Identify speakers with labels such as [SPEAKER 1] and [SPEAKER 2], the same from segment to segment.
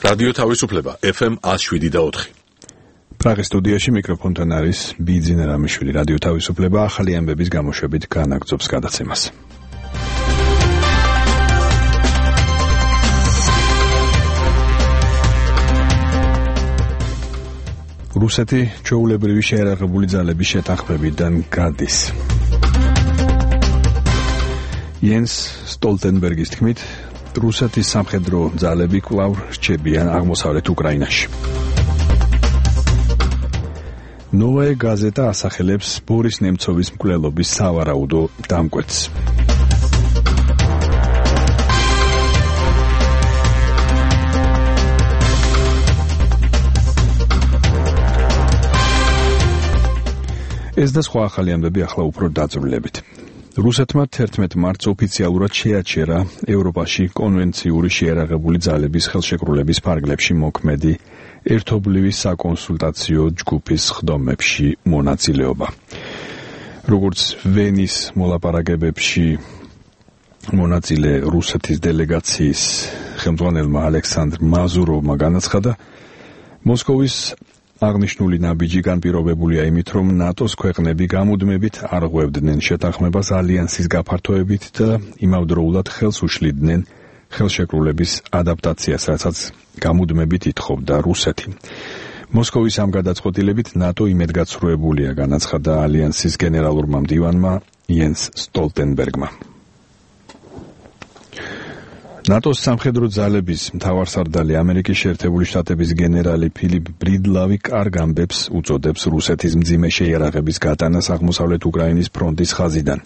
[SPEAKER 1] რადიო თავისუფლება FM 107.4.
[SPEAKER 2] პრაღის სტუდიაში მიკროფონთან არის ბიძინა რამიშვილი. რადიო თავისუფლება ახალი ამბების გამოშვებით განაგრძობს გადაცემას. რუსეთი ჩვეულებრივი შეიარაღებული ძალების შეთანხმებიდან გადის. იენს სტოლტენბერგის თქმით, რუსეთის სამხედრო ძალები კვლავ რჩებიან აღმოსავლეთ უკრაინაში. ნოვაია გაზეტა ასახელებს ბორის ნემცოვის მკვლელობის სავარაუდო დამკვეთს. ეს და სხვა ახალი ამბები ახლა უფრო დაწვრილებით. რუსეთმა 11 მარტს ოფიციალურად შეაჩერა ევროპაში კონვენციური შეიარაღებული ძალების ხელშეკრულების ფარგლებში მოქმედი ერთობლივი საკონსულტაციო ჯგუფის ხდომებში მონაწილეობა. როგორც ვენის მოლაპარაკებებში მონაწილე რუსეთის დელეგაციის ხელმძღვანელმა ალექსანდრ მაზუროვმა განაცხადა, მოსკოვის აღნიშნული ნაბიჯი განპირობებულია იმით, რომ ნატოს ქვეყნები გამუდმებით არ ღვევდნენ შეთანხმებას ალიანსის გაფართოებით და იმავდროულად ხელს უშლიდნენ ხელშეკრულების ადაპტაციას, რასაც გამუდმებით ითხოვდა რუსეთი. მოსკოვის ამ გადაწყვეტილებით ნატო იმედგაცრუებულია, განაცხადა ალიანსის გენერალურმა მდივანმა იენს სტოლტენბერგმა. ნატოს სამხედრო ძალების მთავარსარდალი ამერიკის შეერთებული შტატების გენერალი ფილიპ ბრიდლავი კარგ ამბებს უწოდებს რუსეთის მძიმე შეიარაღების გატანას აღმოსავლეთ უკრაინის ფრონტის ხაზიდან.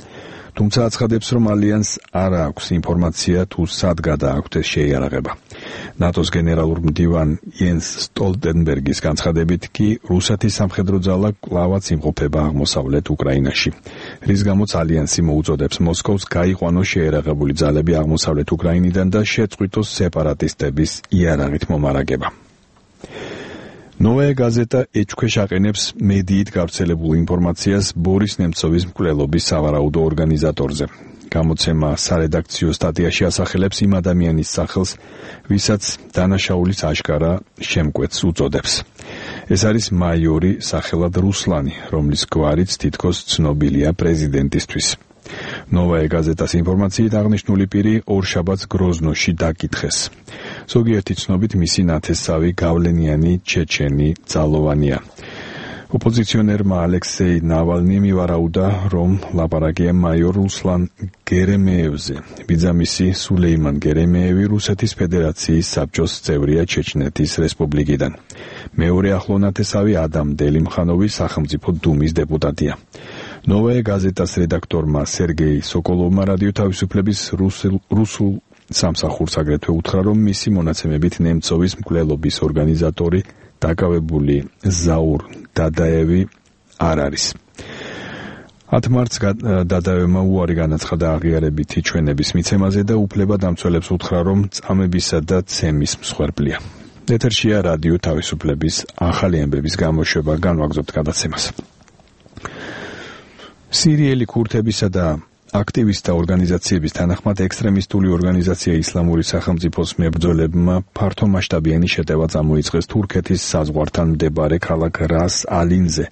[SPEAKER 2] თუმცა აცხადებს, რომ ალიანსს არ აქვს ინფორმაცია თუ სად გადააქვთ ეს შეიარაღება. ნატოს გენერალურ მდივან იენს სტოლტენბერგის განცხადებით კი რუსეთის სამხედრო ძალა კვლავაც იმყოფება აღმოსავლეთ უკრაინაში, რის გამოც ალიანსი მოუწოდებს მოსკოვს გაიყვანოს შეიარაღებული ძალები აღმოსავლეთ უკრაინიდან და შეწყვიტოს სეპარატისტების იარაღით მომარაგება. ნოვაია გაზეტა ეჭქვეშ აყენებს მედიით გავრცელებულ ინფორმაციას ბორის ნემცოვის მკვლელობის სავარაუდო ორგანიზატორზე. გამოცემა სარედაქციო სტატიაში ასახელებს იმ ადამიანის სახელს, ვისაც დანაშაულის აშკარა შემკვეთს უწოდებს. ეს არის მაიორი სახელად რუსლანი, რომლის გვარიც თითქოს ცნობილია პრეზიდენტისთვის. ნოვაია გაზეტას ინფორმაციით აღნიშნული პირი ორშაბათს გროზნოში დაკითხეს. ზოგიერთი ცნობით მისი ნათესავი გავლენიანი ჩეჩენი ძალოვანია. ოპოზიციონერმა ალექსეი ნავალნი მივარაუდა, რომ ლაპარაკია მაიორ რუსლან გერემეევზე. ბიძამისი სულეიმან გერემეევი რუსეთის ფედერაციის საბჭოს წევრია ჩეჩნეთის რესპუბლიკიდან. მეორე ახლო ნათესავი ადამ დელიმხანოვი სახელმწიფო დუმის დეპუტატია. ნოვაია გაზეტას რედაქტორმა სერგეი სოკოლოვმა რადიო თავისუფლების რუსულ სამსახურს აგრეთვე უთხრა, რომ მისი მონაცემებით ნემცოვის მკვლელობის ორგანიზატორი დაკავებული ზაურ დადაევი არ არის. 10 მარტს დადაევმა უარი განაცხადა აღიარებითი ჩვენების მიცემაზე და უფლებადამცველებს უთხრა, რომ წამებისა და ცემის მსხვერპლია. ეთერშია რადიო თავისუფლების ახალი ამბების გამოშვება, განვაგრძობთ გადაცემას. სირიელი ქურთებისა და აქტივისტთა ორგანიზაციების თანახმად ექსტრემისტული ორგანიზაცია ისლამური სახელმწიფოს მებრძოლებმა ფართომასშტაბიანი შეტევა წამოიწყეს თურქეთის საზღვართან მდებარე ქალაქ რას ალინზე,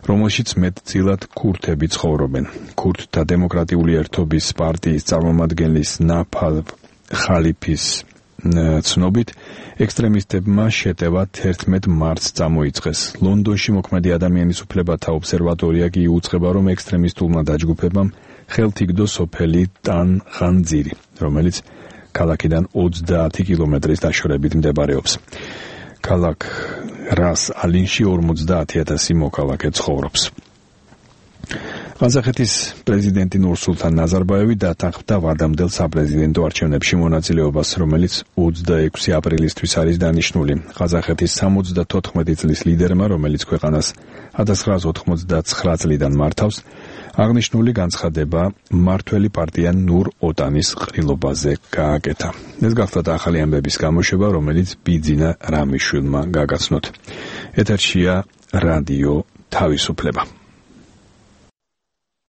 [SPEAKER 2] რომელშიც მეტწილად ქურთები ცხოვრობენ. ქურთთა დემოკრატიული ერთობის პარტიის წარმომადგენლის ნაფალ ხალიფის ცნობით, ექსტრემისტებმა შეტევა 11 მარტს წამოიწყეს. ლონდონში მოქმედი ადამიანის უფლებათა ობსერვატორია კი იუწყება, რომ ექსტრემისტულმა დაჯგუფებამ ხელთ იგდო სოფელი ტან ხანძირი, რომელიც ქალაქიდან 30 კილომეტრის დაშორებით მდებარეობს. ქალაქ რას ალინში 50,000 მოქალაქე ცხოვრობს. ყაზახეთის პრეზიდენტი ნურსულთან ნაზარბაევი დათანხმდა ვადამდელ საპრეზიდენტო არჩევნებში მონაწილეობას, რომელიც 26 აპრილისთვის არის დანიშნული. ყაზახეთის 74 წლის ლიდერმა, რომელიც ქვეყანას 1999 წლიდან მართავს, აღნიშნული განცხადება მმართველი პარტია ნურ ოტანის ყრილობაზე გააკეთა. ეს გახლავთ ახალი ამბების გამოშვება, რომელიც ბიძინა რამიშვილმა გაგაცნოთ. ეთერშია რადიო თავისუფლება.